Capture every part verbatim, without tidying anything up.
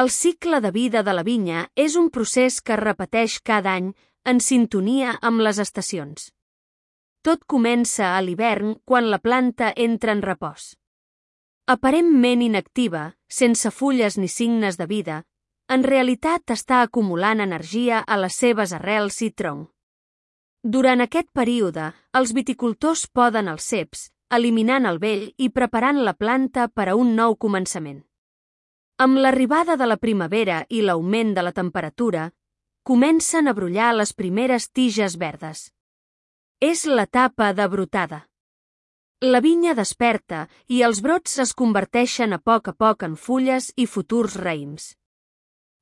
El cicle de vida de la vinya és un procés que es repeteix cada any en sintonia amb les estacions. Tot comença a l'hivern quan la planta entra en repòs. Aparentment inactiva, sense fulles ni signes de vida, en realitat està acumulant energia a les seves arrels i tronc. Durant aquest període, els viticultors poden els ceps, eliminant el vell i preparant la planta per a un nou començament. Amb l'arribada de la primavera i l'augment de la temperatura, comencen a brollar les primeres tiges verdes. És l'etapa de brotada. La vinya desperta i els brots es converteixen a poc a poc en fulles i futurs raïms.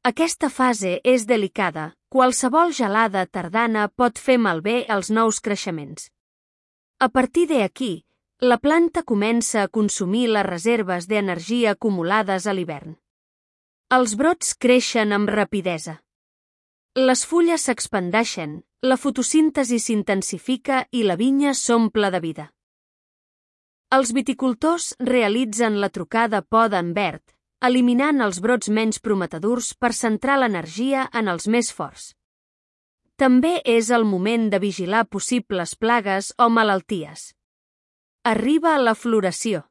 Aquesta fase és delicada. Qualsevol gelada tardana pot fer malbé els nous creixements. A partir d'aquí, la planta comença a consumir les reserves d'energia acumulades a l'hivern. Els brots creixen amb rapidesa. Les fulles s'expandeixen, la fotosíntesi s'intensifica i la vinya s'omple de vida. Els viticultors realitzen la trucada poda en verd, eliminant els brots menys prometedors per centrar l'energia en els més forts. També és el moment de vigilar possibles plagues o malalties. Arriba la floració.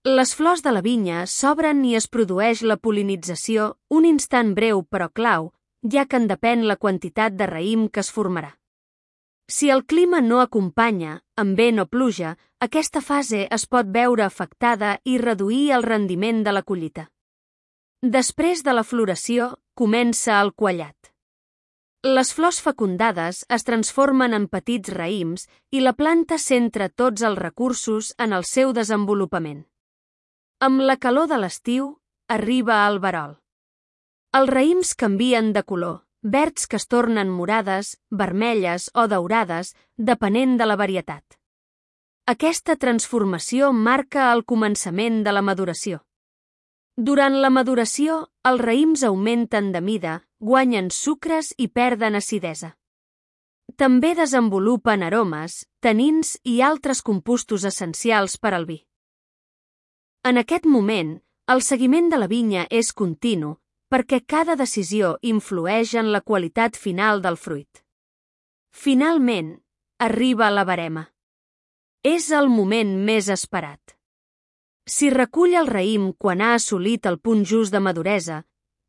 Les flors de la vinya s'obren i es produeix la pol·linització, un instant breu però clau, ja que en depèn la quantitat de raïm que es formarà. Si el clima no acompanya, amb vent o pluja, aquesta fase es pot veure afectada i reduir el rendiment de la collita. Després de la floració, comença el quallat. Les flors fecundades es transformen en petits raïms i la planta centra tots els recursos en el seu desenvolupament. Amb la calor de l'estiu, arriba el verol. Els raïms canvien de color, verds que es tornen morades, vermelles o daurades, depenent de la varietat. Aquesta transformació marca el començament de la maduració. Durant la maduració, els raïms augmenten de mida, guanyen sucres i perden acidesa. També desenvolupen aromes, tanins i altres compostos essencials per al vi. En aquest moment, el seguiment de la vinya és continu, perquè cada decisió influeix en la qualitat final del fruit. Finalment, arriba la verema. És el moment més esperat. Si recull el raïm quan ha assolit el punt just de maduresa,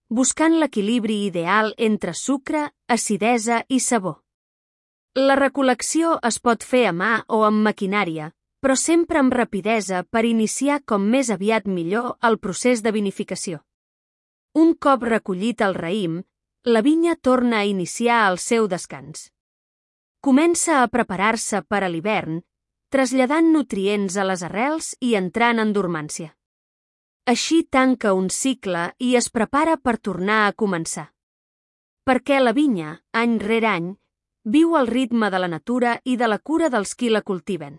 buscant l'equilibri ideal entre sucre, acidesa i sabor. La recol·lecció es pot fer a mà o amb maquinària, però sempre amb rapidesa per iniciar com més aviat millor el procés de vinificació. Un cop recollit el raïm, la vinya torna a iniciar el seu descans. Comença a preparar-se per a l'hivern, traslladant nutrients a les arrels i entrant en dormància. Així tanca un cicle i es prepara per tornar a començar. Perquè la vinya, any rere any, viu al ritme de la natura i de la cura dels qui la cultiven.